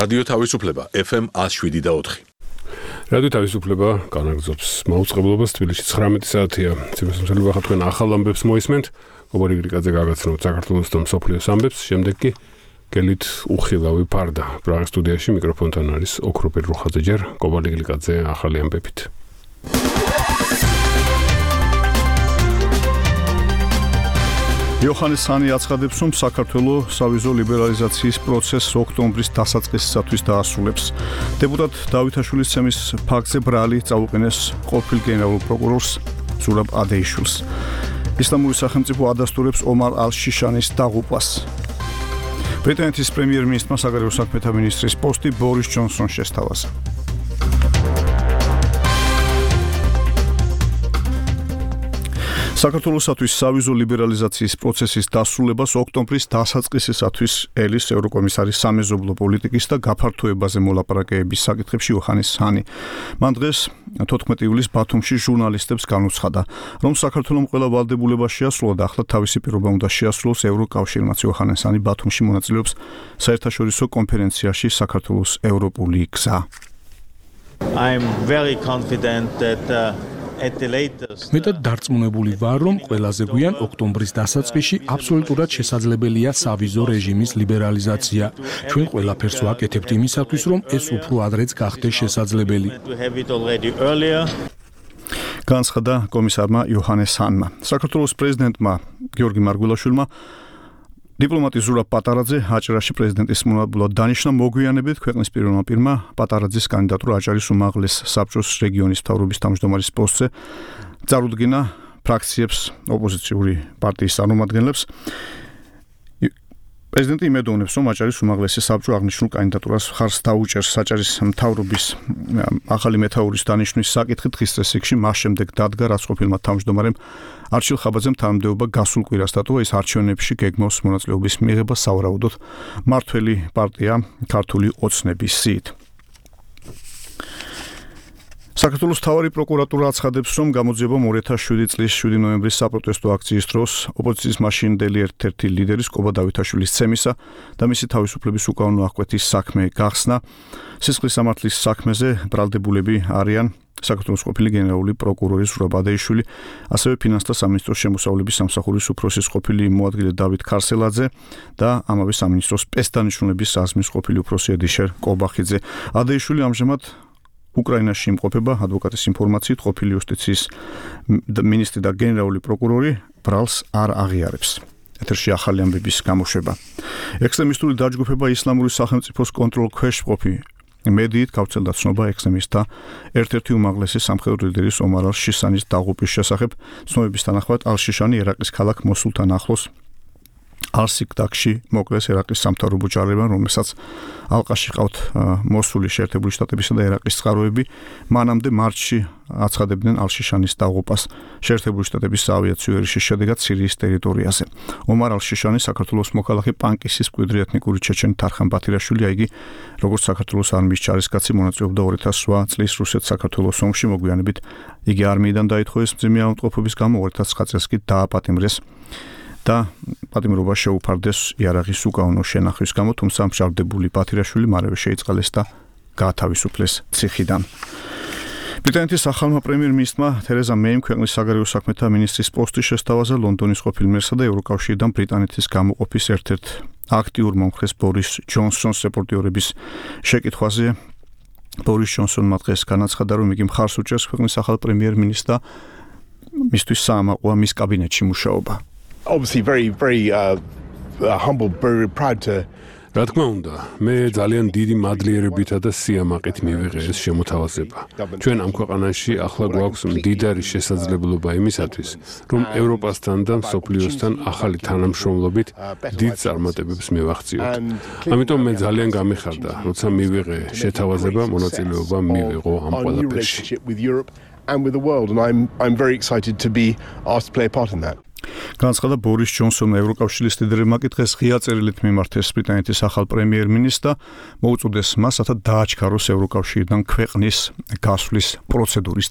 რადიო თავისუფლება FM 107.4. რადიო თავისუფლება განაგრძობს მაუწყებლობას თბილისში 19 საათია. ციხესიმცირება ხა თქვენ ახალ ამბებს მოისმენთ. გოგორი გრიგაძე გაგაცნობთ საქართველოს და მსოფლიოს ამბებს. შემდეგ კი გელით უხილავი ფარდა. პრაღის სტუდიაში მიკროფონთან არის ოქროპირ რუხაძე ჯერ. გოგორი გრიგაძე ახალი ამბებით. იოჰანეს ჰანი აცხადებს, რომ საქართველოს სავიზო ლიბერალიზაციის პროცესს ოქტომბრის დასაწყისისათვის დაასრულებს. დეპუტატ დავითაშვილის ცემის ფაქტზე ბრალი წაუყენეს ყოფილ გენერალურ პროკურორს ზურაბ ადეიშვილს. ისლამური სახელმწიფო ადასტურებს ომარ ალ-შიშანის დაღუპვას. ბრიტანეთის პრემიერ-მინისტრმა საგარეო საქმეთა მინისტრის პოსტი ბორის ჯონსონს შესთავაზა. საქართველოსათვის სავიზო ლიბერალიზაციის პროცესის დასრულებას ოქტომბრის დასაწყისისათვის ელის ევროკომისარის სამეზობლო პოლიტიკის და გაფართოებაზე მოლაპარაკებების საკითხებში იოჰანეს ჰანი. მან დღეს 14 ივლისს ბათუმში ჟურნალისტებს განუცხადა, რომ საქართველოს ყველა ვალდებულება შეასრულა და ახლა თავისი პირობა უნდა შეასრულოს ევროკავშირმაც. იოჰანეს ჰანი ბათუმში მონაწილეობს საერთაშორისო კონფერენციაში საქართველოს ევროპული გზა. I'm very confident that მეტად დარწმუნებული ვარ, რომ ყველაზე გვიან ოქტომბრის დასაწყისში აბსოლუტურად შესაძლებელია სავიზო რეჟიმის ლიბერალიზაცია. ჩვენ ყველაფერს ვაკეთებთ იმისათვის, რომ ეს უფრო ადრეც გახდეს შესაძლებელი. განცხადა კომისარმა იოჰანეს ჰანმა. საქართველოს პრეზიდენტმა გიორგი მარგველაშვილმა დიპლომატი ზურაბ პატარაძე აჭარაში პრეზიდენტის მონაბოლოდ დანიშნა, მოგვიანებით ქვეყნის პირველმა პირმა პატარაძის კანდიდატურა აჭარის უმაღლეს საბჭოს რეგიონის მთავრობის თავმჯდომარის პოსტზე წარუდგინა ფრაქციებს, ოპოზიციური პარტიის წარმომადგენლებს. პრეზიდენტი იმედოვნებს, რომ აჭარის უმაღლესი საბჭო აღნიშნულ კანდიდატურას ხარს დაუჭერს. აჭარის მთავრობის ახალი მეთაურის დანიშვნის საკითხი დღის წესრიგში მას შემდეგ დადგა, რაც ყოფილმა თავმჯდომარემ არჩილ ხაბაძემ თანამდებობა გასულ კვირას დატოვა. ის არჩევნებში გეგმავს მონაწილეობის მიღება სავარაუდოდ მართველი პარტია ქართული ოცნების სიით. საქართველოს მთავარი პროკურატურა აცხადებს, რომ გამოძიებამ 2007 წლის 7 ნოემბრის საპროტესტო აქციის დროს ოპოზიციის მაშინდელი ერთ-ერთი ლიდერის კობა დავითაშვილის ცემისა და მისი თავისუფლების უკანონო აღკვეთის საქმე გახსნა. სისხლის სამართლის საქმეზე ბრალდებულები არიან საქართველოს ყოფილი გენერალური პროკურორი ზურაბ ადეიშვილი, ასევე ფინანსთა სამინისტროს შემოსავლების სამსახურის უფროსის ყოფილი მოადგილე დავით ქარსელაძე და ამავე სამინისტროს სპეცდანიშნულების საზმის ყოფილი უფროსი ედიშერ კობახიძე. ადეიშვილი ამჟამად უკრაინაში იმყოფება. ადვოკატის ინფორმაციით ყოფილი იუსტიციის მინისტრი და გენერალური პროკურორი ბრალს არ აღიარებს. ეთერში ახალი ამბების გამოშვება. ექსტრემისტული დაჯგუფება ისლამური სახელმწიფოს კონტროლ ქვეშ მყოფი მედიით გავრცელდა ცნობა ექსტრემისტთა ერთ-ერთი უმაღლესი სამხედრო ლიდერის ომარ ალ-შიშანის დაღუპვის შესახებ. ცნობების თანახმად ალ-შიშანი ერაყის ქალაქ მოსულთან ახლოს ალ-სიკდაკში მოკლეს ერაყის სამთავრობო ჯარებმა, რომელსაც ალყაში ყავთ მოსულის შეერთებული შტატებისა და ერაყის წყაროები. მანამდე მარტში აცხადებდნენ ალ-შიშანის დაღუპვას შეერთებული შტატების საავიაციო ერიშის შედეგად სირიის ტერიტორიაზე. ომარ ალ-შიშანი საქართველოს მოქალაქე პანკისის მკვიდრი ეთნიკური ჩეჩენი თარხან ბათირაშვილია. იგი როგორც საქართველოს არმიის ჯარისკაცი მონაწილეობდა 2008 წლის რუსეთ-საქართველოს ომში. მოგვიანებით იგი არმიიდან დაითხოვეს მძიმე ავადმყოფობის გამო, 2009 წელს კი დააპატიმრეს და პატიმრობა შეუფარდეს იარაღის უკანონო შენახვის გამო, თუმცა მშავდებული ბათირაშვილი მალევე შეიწყალეს და გაათავისუფლეს ციხიდან. ბრიტანეთის ახალმა პრემიერ-მინისტრმა თერეზა მეიმ ქვეყნის საგარეო საქმეთა მინისტრის პოსტი შესთავაზა. ლონდონის ყოფილ მერსა და ევროკავშირიდან ბრიტანეთის გამოყოფის ერთ-ერთ აქტიურ მომხრეს ბორის ჯონსონს რეპორტიორების შეკითხვაზე ბორის ჯონსონმა დღეს განაცხადა, რომ იგი მხარს უჭერს ქვეყნის ახალ პრემიერ-მინისტრს და მისთვის საამაყოა მის კაბინეტში მუშაობა. Obviously very humble, very proud to რა თქმა უნდა, მე ძალიან დიდი მადლიერებითა და სიამაყით მივიღე ეს შემოთავაზება. ჩვენ ამ ქვეყანაში ახლა გვაქვს მდიდარი შესაძლებლობა იმისათვის, რომ ევროპასთან და მსოფლიოსთან ახალი თანამშრომლობით დიდ წარმატებებს მივაღწიოთ. ამიტომ მე ძალიან გამიხარდა, როცა მივიღე შეთავაზება მონაწილეობა მივიღო ამ ყველაფერში. And with the world, and I'm very excited to be asked to play a part in that. განცხადა ბორის ჯონსონმა. ევროკავშირის ლიდერებმა კი დღეს ღია წერილით მიმართეს ბრიტანეთის ახალ პრემიერ-მინისტრს და მოუწოდეს მას, რათა დააჩქაროს ევროკავშირიდან ქვეყნის გასვლის პროცედურის